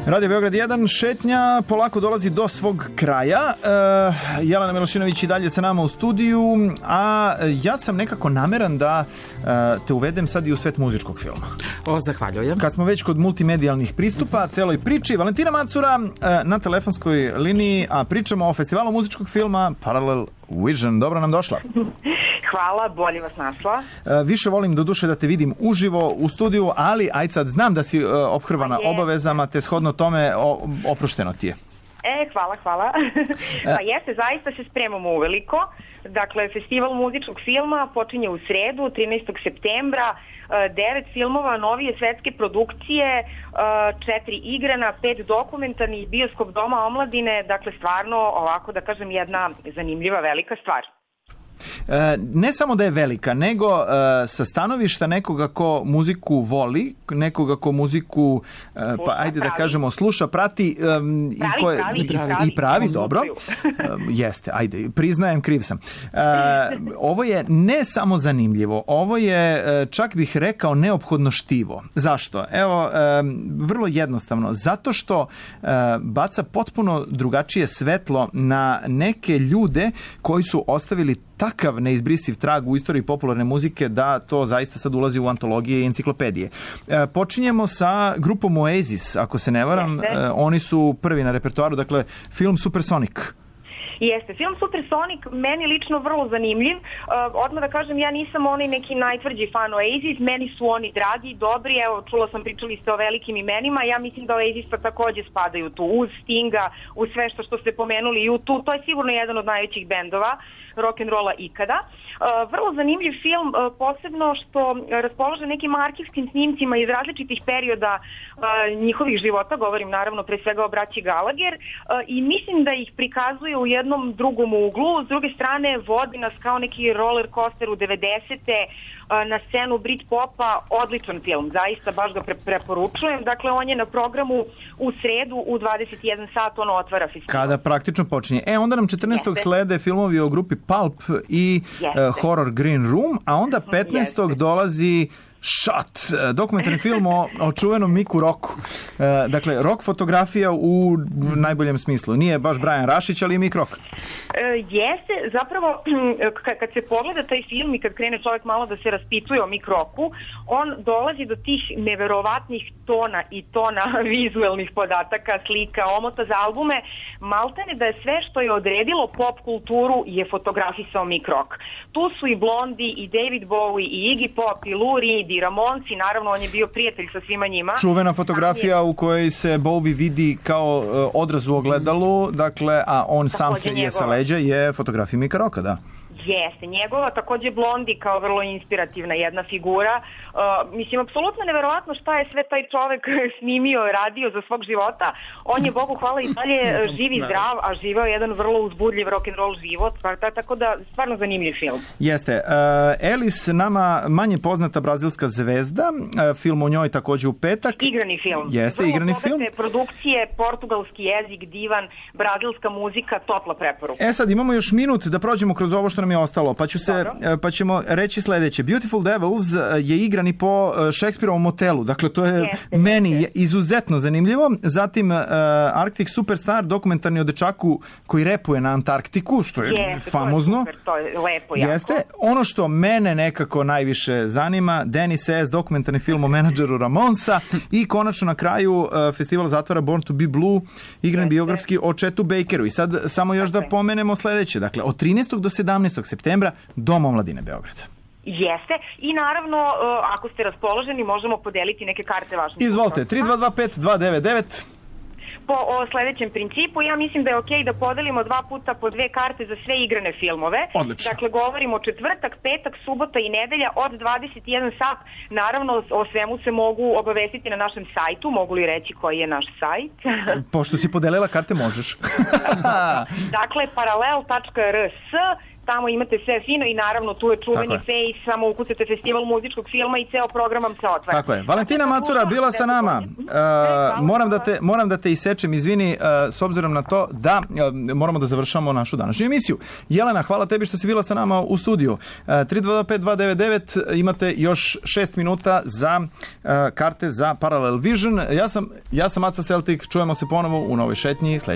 Radio Beograd 1, šetnja polako dolazi do svog kraja. Jelena Milošinović i dalje sa nama u studiju, a ja sam nekako nameran da te uvedem sad i u svet muzičkog filma. Zahvaljujem. Kad smo već kod multimedijalnih pristupa celoj priči, Valentina Macura na telefonskoj liniji, a pričamo o festivalu muzičkog filma Parallel Vision. Dobro nam došla. Hvala, bolje vas našla. Više volim do duše da te vidim uživo u studiju, ali ajde sad, znam da si ophrvana obavezama, te shodno tome oprošteno ti je. Hvala. Pa jeste, zaista se spremamo uveliko. Dakle, festival muzičkog filma počinje u sredu, 13. septembra, 9 filmova, novije svetske produkcije, 4 igrana, 5 dokumentarnih, bioskop Doma omladine, dakle stvarno, ovako da kažem, jedna zanimljiva velika stvar. Ne samo da je velika, nego sa stanovišta nekoga ko muziku voli, nekoga ko muziku, pa ajde da kažemo, sluša, prati i pravi, dobro. Jeste, ajde, priznajem, kriv sam. Ovo je ne samo zanimljivo, ovo je, čak bih rekao, neophodno štivo. Zašto? Evo, vrlo jednostavno. Zato što baca potpuno drugačije svetlo na neke ljude koji su ostavili takav neizbrisiv trag u istoriji popularne muzike da to zaista sad ulazi u antologije i enciklopedije. Počinjemo sa grupom Oasis, ako se ne varam. Oni su prvi na repertoaru, dakle, film Supersonic. Jeste, film Supersonic meni lično vrlo zanimljiv. Odmah da kažem, ja nisam onaj neki najtvrđi fan Oasis, meni su oni dragi, dobri, evo, čula sam, pričali ste o velikim imenima, ja mislim da Oasis takođe spadaju tu, uz Stinga, uz sve što ste pomenuli, U2, to je sigurno jedan od najvećih bendova rock'n'rolla ikada. Vrlo zanimljiv film, posebno što raspolaže nekim arhivskim snimcima iz različitih perioda njihovih života, govorim naravno pre svega o braći Gallagher, i mislim da ih prikazuje u jednom drugom uglu. S druge strane, vodi nas kao neki roller coaster u 90-te na scenu Britpopa. Odličan film, zaista baš ga preporučujem. Dakle, on je na programu u sredu u 21 sat, ono otvara festival. Kada praktično počinje. Onda nam 14. slede filmovi o grupi Pulp i Horror Green Room, a onda 15. dolazi Shot, dokumentarni film o čuvenom Miku Rocku. Dakle, rock fotografija u najboljem smislu. Nije baš Brian Rašić, ali je Mik Rock. Jeste, zapravo, kad se pogleda taj film i kad krene čovjek malo da se raspituje o Mik Rocku, on dolazi do tih neverovatnih tona i tona vizuelnih podataka, slika, omota za albume. Maltene da je sve što je odredilo pop kulturu je fotografisao Mik Rock. Tu su i Blondie, i David Bowie, i Iggy Pop, i Lou Reed, i Ramonsi, naravno on je bio prijatelj sa svima njima. Čuvena fotografija u kojoj se Bowie vidi kao odraz u ogledalu, dakle, a on sam se je sa leđa, je fotografija Mika Rocka, da. Jeste, njegova, takođe Blondie kao vrlo inspirativna jedna figura. Mislim, apsolutno neverovatno šta je sve taj čovek snimio, radio za svog života. On je, Bogu hvala, i dalje živ i zdrav, a živeo jedan vrlo uzbudljiv rock'n'roll život, tako da stvarno zanimljiv film. Jeste. Elis, nama manje poznata brazilska zvezda, film o njoj takođe u petak. Igrani film. Jeste, igrani film. Vrlo produkcije, portugalski jezik, divan, brazilska muzika, topla preporuka. Sad imamo još minut da prođemo kroz ovo što nam je ostalo, pa ćemo reći sledeće. Beautiful Devils je igran i po Šekspirovom motelu, dakle to je meni izuzetno zanimljivo. Zatim Arctic Superstar, dokumentarni o dečaku koji repuje na Antarktiku, što je famozno. To je lepo, jako. Jeste. Ono što mene nekako najviše zanima, Dennis S., dokumentarni film o menadžeru Ramonsa, i konačno na kraju festival zatvara Born to be Blue, igran biografski o Chetu Bakeru. I sad samo još da pomenemo sledeće, dakle od 13. do 17. septembra Dom omladine Beograda. Jeste, i naravno, ako ste raspoloženi, možemo podeliti neke karte važnih. Izvolite, 3225-299. Po sledećem principu, ja mislim da je okej da podelimo 2 puta po 2 karte za sve igrane filmove. Odlično. Dakle, govorimo četvrtak, petak, subota i nedelja od 21 sat. Naravno, o svemu se mogu obavestiti na našem sajtu. Mogu li reći koji je naš sajt? Pošto si podelila karte, možeš. Dakle, paralel.rs tamo imate sve fino i naravno tu je čuveni Face, samo ukucate festival muzičkog filma i ceo program vam se otvara. Tako je. Valentina Macura bila sa nama. Moram da te isečem, izvini, s obzirom na to da moramo da završamo našu današnju emisiju. Jelena, hvala tebi što si bila sa nama u studiju. 3225-299, imate još 6 minuta za karte za Parallel Vision. Ja sam Aca Celtic, čujemo se ponovo u novoj šetnji sledećeg.